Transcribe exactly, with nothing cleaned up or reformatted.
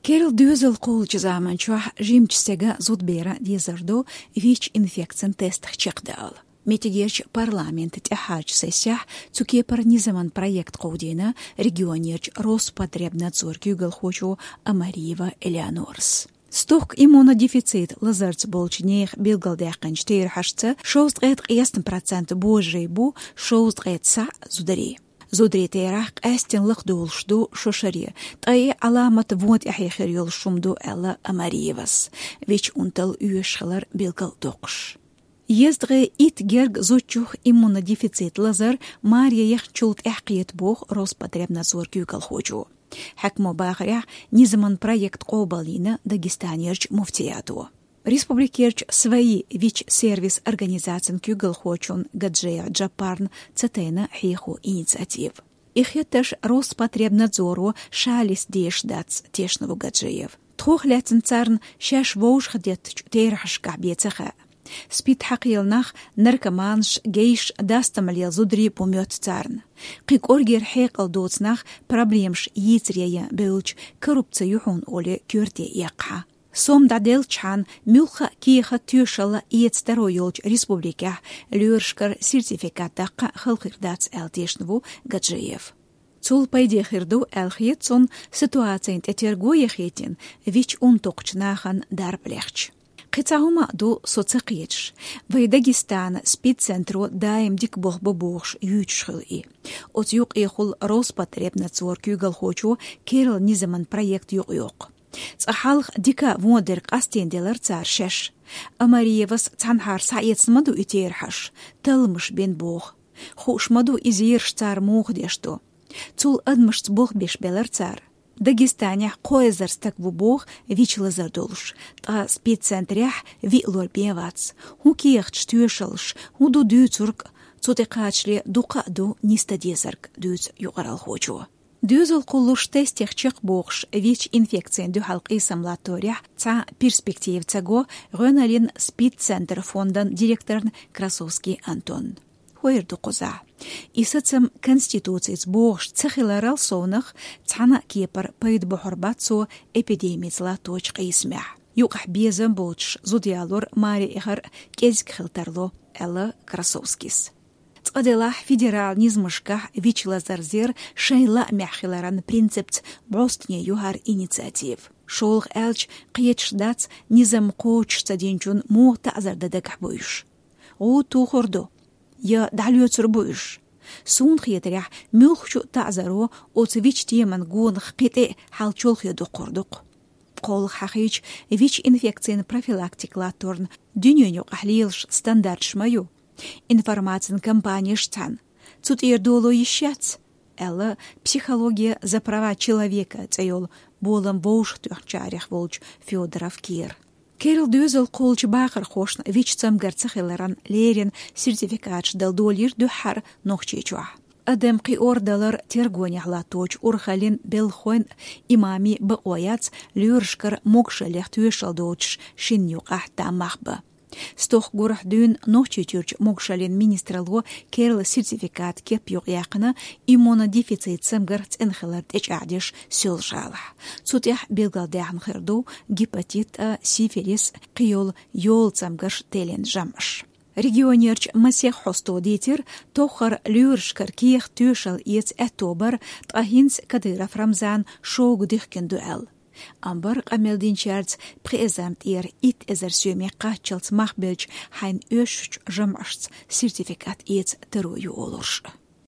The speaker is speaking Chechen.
Керла доьзал кхоллачу заманчохь жимачу стеган зудаберан дезар ду ВИЧ-инфекцин тестах чекхдаала. Меттигерчу парламентан тӀаьххьарчу сессехь цу кепара низаман проект кховдийна регионерчу Роспотребнадзоран куьйгалхочо Амариева Элеонорас. Стохка иммунодефицит лазарца болчу нехан билгалдаьккхинчу терахьашца шовзткъе ткъаесна процент божарий бу, шовзткъе цхьаъ зударий. Зударийн терахь къаьсттина лакхадолуш ду шо шаре, ткъа и Ӏаламат вон тӀаьхье хир йолуш хӀума ду, аьлла Амариевас, ВИЧ-унтал оьшуш хилар билгалдоккхуш. Езткъе итт герга зудчух иммунодефицит лазар маре яхначул тӀаьхьа кхета боху Роспотребнадзоран куьйгалхочо. Хьаькамо бахарехь, низаман проект къобалйина Дагестанерчу муфтиято. Республикерчу «Свои» ВИЧ-сервис организацин куьйгалхочун Гаджиев Джапарна ца тайна хьехо инициатива. И хеттарш Роспотребнадзоро ша листа дезаш дац, тешна ву Гаджиев. Тхох лаьцна царна шаьш вовшахтеттачу терахьашкахь бен ца хаьа. СПИД хьакхиъна нах, наркоманаш, гейш, дастам лела зударий бу моьтту царна. Кхин кӀоргера хьекъал доцу нах проблемаш йийцаре ян бевлча, коррупци ю хьуна олий коьрте эккхахьа. Сом дӀаделлачхьана муьлхха а кехат, тоьшалла эца таро йолчу республикехь лоьрашкара сертификат даккха хала хир дац, аьлла тешна ву Гаджиев. Цул пайде хир ду, аьлла хета цунна, ситуацина тӀе терго ян хетийна, ВИЧ-унтакхачу нахана дарба лехча. Кхин цхьа хӀума а ду со ца кхеташ. Вайн Дагестанан СПИД-центро даим дика болх бо бохуш юьйцуш хуьлу и. Оцу юкъехула Роспотребнадзоран куьйгалхочо керла низаман проект юкъайоккху. Цкъа хьалха дика а, вон дерг къастийна делара цара шаьш. Амариевас цхьанхьара схьаэцна ма ду и терахьаш, талламаш бина боху. Хууш ма ду и зераш цара муха деш ду. Цул адамашца болх беш белара цара. Дагестанехь кхо эзар стаг ву боху ВИЧ-лазар долуш, ткъа СПИД-центрехь виъ лор бен вац. ХӀун кехаташ, тоьшаллаш, хӀун ду дуьйцург, цу тӀе кхачале дукха а ду нисдан дезарг, дуьйцу юкъаралхочо. Доьзал кхуллуш тестех чекхбохуш, ВИЧ-инфекцина дуьхьал къийсам латторехь цхьа перспектива ца го гӀоьналлин СПИД-центран фондан директорна Красовский Антонна. ХӀара ду кхузахь. И сацам Конституцица бохуш ца хиларал совнах, цхьана а кепара пайда бохьур бац цо эпидемица латточу къийсамехь. Юкъахь безам боцуш зуда ялор маре эхар кӀезиг хила тарло, аьлла Красовскис. Цкъа делахь, федералан низамашкахь ВИЧ-лазар зер шайн лаамехь хиларан принципца бӀостане ю хӀара инициатива. ШолгӀа аьлча, кхеташ дац, низам кхочуш ца динчунна муха таӀзар дан дагахь бу уьш. ГӀуда тухур ду, я дӀалоьцур бу уьш. Суна хетарехь, муьлххачу а таӀзаро оцу ВИЧ-теман гонах кхин тӀе а хьал чолхе доккхур ду-кх. КхоллахӀитта, ВИЧ-инфекцина профилактика латторна дуьненаюкъахь лелаш стандарташ ма ю. Информацин кампанеш цхьаьна. Цу тӀера доло йиш яц, аьлла «Психология за права человека» цӀе йолу болам вовшахтоьхначарех волчу Федоров Кира. Керла доьзал кхоллучу бахархошна ВИЧ-цамгар ца хиларан леррина сертификаташ дала долийра дуьххьара Нохчийчохь. Адам кхиор далар тергонехь латточу урхаллин, белхалойн, имамийн бакъо яц лоьрашкара могушаллех тоьшалла доцуш шинна юкъахь там мах бан. Стохка гурахь дуьйна Нохчийчуьрчу могушаллин министралло керла сертификат кеп юкъаяьккхина иммунодефицит цамгар цӀена хилар тӀечӀагӀдеш Соьлжа-ГӀалахь. Цу тӀехь билгалдаьхна хир ду гепатит А, сифилис, кхин йолу йола цамгарш теллина жамӀаш. Регионерчу масех хьосто дийцира, тоххара лоьрашкара кехат, тоьшалла эца аьтто бара, ткъа хӀинца Кадыров Рамзана шога дихкина ду аьлла. Амма бара къамел динчаьрца пхи эзарна тӀера итт эзар соьме кхаччалц мах белча, хьайна оьшучу жамӀашца сертификат эца таро ю олурш.